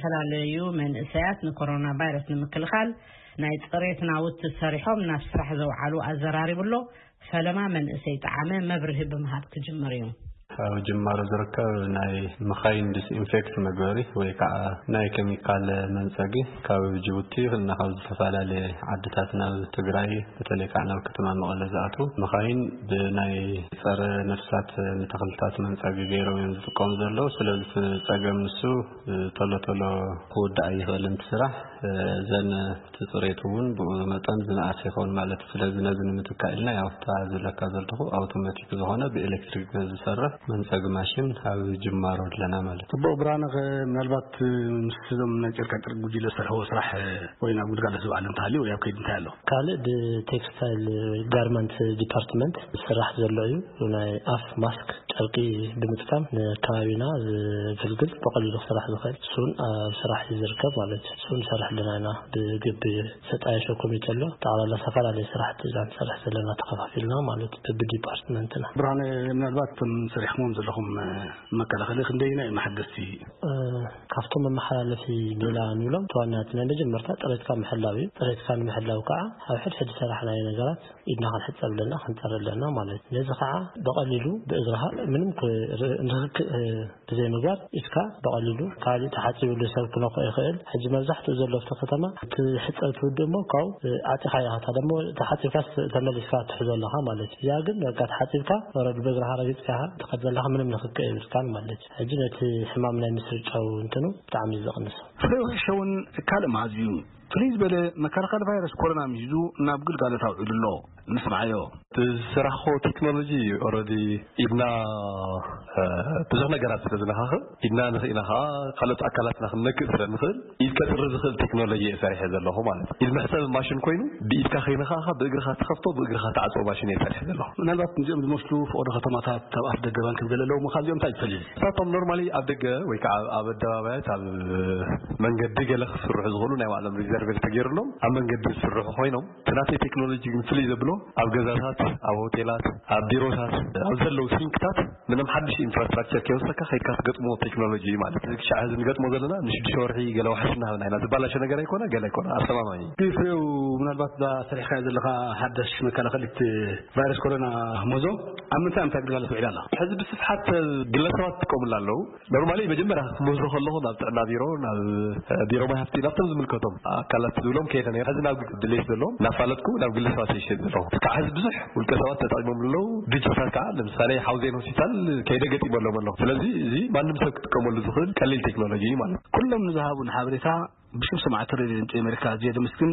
ዝተፈላለዩ መንእሰያት ንኮሮና ቫይረስ ንምክልኻል ናይ ጽሬት ናውቲ ሰሪሖም ናብ ስራሕ ዘውዓሉ ኣዘራሪቡ ኣሎ። ፈለማ መንእሰይ ጠዓመ መብርሂ ብምሃብ ክጅምር እዩ። ኣብ ጅማሮ ዝርከብ ናይ መኻይን ዲስኢንፌክት መግበሪ ወይ ከዓ ናይ ኬሚካል መንፀጊ ካብ ጅቡቲ እና ካብ ዝተፈላለየ ዓድታት ናብ ትግራይ፣ በተለይ ከዓ ናብ ከተማ መቐለ ዝኣትዉ መኻይን ብናይ ፀረ ነፍሳት ንተኽልታት መንፀጊ ገይሮም እዮም ዝጥቀሙ ዘለዉ። ስለዚ እቲ ፀገም ንሱ ቶሎ ቶሎ ክውዳእ ኣይኽእልን እቲ ስራሕ። እዘን እቲ ፅሬቱ እውን ብኡ መጠን ዝነኣሰ ይኸውን ማለት እዩ። ስለዚ ነዚ ንምትካእ ኢልና ያው እታ ዝብለካ ዘለኹ ኣውቶማቲክ ዝኾነ ብኤሌክትሪክ ዝሰርሕ መንፀጊ ማሽን ኣብ ጅማሮ ኣለና ማለት እዩ። ጽቡቕ ብርሃነ፣ ከ ምናልባት ምስ እዞም ናይ ጨርቃ ጨርቂ ጉጅለ ዝሰርሕዎ ስራሕ ወይ ናብ ግልጋሎት ዝውዓል እንተሃልዩ ወይ ኣብ ከይዲ እንታይ ኣሎ? ካልእ ብቴክስታይል ወይ ጋርመንት ዲፓርትመንት ዝስራሕ ዘሎ እዩ። ናይ ኣፍ ማስክ ጨርቂ ብምጥቃም ንከባቢና ዘገልግል ብቐሊሉ ክስራሕ ዝኽእል እሱን ኣብ ስራሕ እዩ ዝርከብ ማለት እዩ። እሱን ንሰርሕ ኣለና ኢና። ብግቢ ዝተጣየሸ ኮሚቴ ኣሎ። ጠቕላላ ዝተፈላለዩ ስራሕቲ ኢና ንሰርሕ ዘለና ተኸፋፊልና ማለት እዩ፣ በብዲፓርትመንትና። ብርሃነ፣ ምናልባት እቶም ሰሪሕኩሞም ዘለኹም መከላኸሊ ክንደይና እዮም ሓገዝቲ? እ፣ ካብቶም መመሓላለፊ ሜላ ንብሎም እቲ ዋና እቲ ናይ መጀመርታ ጥሬትካ ምሕላው እዩ። ጥሬትካ ንምሕላው ከዓ ኣብ ሕድሕድ ዝሰራሕናዮ ነገራት ኢድና ክንሕጸብ ኣለና፣ ክንጸሪ ኣለና ማለት እዩ። ነዚ ከዓ ብቐሊሉ ብእግርኻ ምንም ክ-፣ ር-፣ ንክክ-፣ እ፣ ብዘይ ምግባር ኢድካ ብቐሊሉ ካልእ ተሓጺብሉ ሰብ ክነኽኦ ይኽእል። ሕጂ መብዛሕትኡ ዘሎ ኣብቲ ከተማ እቲ ሕጸብ ትውድእ እሞ ካብኡ፣ እ፣ ዓጺኻ ኢኻ። እታ ደሞ ተሓጺብካ ስ-፣ ተመሊስካ ትሕዞ ኣለኻ ማለት እዩ። እዚኣ ግን በቃ ተሓጺብካ ወረድ ብእግርኻ ረጊጽካ ኢኻ ትኸድ ዘለኻ፣ ምንም ንክክ የብልካን ማለት እዩ። ሕጂ ነቲ ሕማም ናይ ምስርጫው እንትኑ ብጣዕሚ እዩ ዘቕንሶ። ፍሬው ሕሸውን ካልእ መኣዝዩ ፍልይ ዝበለ መከላኸሊ ቫይረስ ኮሮና ምሂዙ ናብ ግልጋሎት ኣውዒሉ ኣሎ። ንስምዓዮ። እቲ ዝሰራሕኮ ቴክኖሎጂ ኦረዲ ኢድና፣ እ፣ ብዙሕ ነገራት ስለ ዝነኻኽእ፣ ኢድና ንኽኢና ኸዓ ካልኦት ኣካላትና ክንነክእ ስለ ንኽእል፣ ኢድ ከጽሪ ዝኽእል ቴክኖሎጂ እየ ሰሪሐ ዘለኹ ማለት እዩ። ኢድ መሕጸቢ ማሽን ኮይኑ፣ ብኢድካ ከይነኻእኻ ብእግርኻ ትኸፍቶ፣ ብእግርኻ ትዓጽቦ ማሽን እየ ሰሪሐ ዘለኹ። ምናልባት እዚኦም ዝመስሉ ፈቐዶ ከተማታት ኣብ ኣፍ ደገ ባንክ ገለ ኣለዉ፣ ካብዚኦም እንታይ ዝፈልዩ? ንሳቶም ኖርማሊ ኣብ ደገ ወይ ከዓ ኣብ ኣደባባያት፣ ኣብ መንገዲ ገለ ክስርሑ ዝኽእሉ ናይ ባዕሎም ሪዘርቬር ተገይሩሎም ኣብ መንገዲ ዝስርሑ ኮይኖም፣ እቲ ናተይ ቴክኖሎጂ ግን ፍልይ ዘብሎ ኣብ ገዛታት፣ ኣብ ሆቴላት፣ ኣብ ቢሮታት፣ ኣብ ዘለዉ ሲንክታት ምንም ሓድሽ ኢንፍራስትራክቸር ከይወሰካ ከይድካ ትገጥሞ ቴክኖሎጂ እዩ ማለት እዩ። ክሻዕ ሕዚ ንገጥሞ ዘለና ንሽዱሽተ ወርሒ ገለ ዋሕስ እናሃብና ኢና። ዝበላሸ ነገር ኣይኮነ፣ ገለ ኣይኮነ፣ ኣስተማማኝ እዩ። ፍሬው፣ ምናልባት እዛ ሰሪሕካዮ ዘለኻ ሓዳሽ መከላኸሊት ቫይረስ ኮሮና ሞዞ ኣብ ምንታይ ምንታይ ግልጋሎት ውዒላ ኣላ? ሕዚ ብስፍሓት ግለሰባት ትጥቀሙላ ኣለዉ። ኖርማሊ መጀመርያ ክምህዞ ከለኹ ናብ ጥዕና ቢሮ፣ ናብ ቢሮ ማይ ሃፍቲ፣ ናብቶም ዝምልከቶም ኣካላት ዝብሎም ከይደ ነይረ። ሕዚ ናብ ድሌት ዘለዎም እናፋለጥኩ ናብ ግለሰባት ይሸጥ ዘለኹ። ካብ ሕዚ ብዙሕ ውልቀ ሰባት ተጠቂሞም ኣለዉ። ድርጅታት ከዓ ለምሳሌ ሓውዜን ሆስፒታል ከይደ ገጢመሎም ኣለኹ። ስለዚ እዚ ማንም ሰብ ክጥቀመሉ ዝኽእል ቀሊል ቴክኖሎጂ እዩ ማለት እዩ። ኩሎም ንዝሃቡን ሓበሬታ ብሽም ሰማዕቲ ሬድዮ ድምፂ ኣሜሪካ ኣዝየ ደመስግን።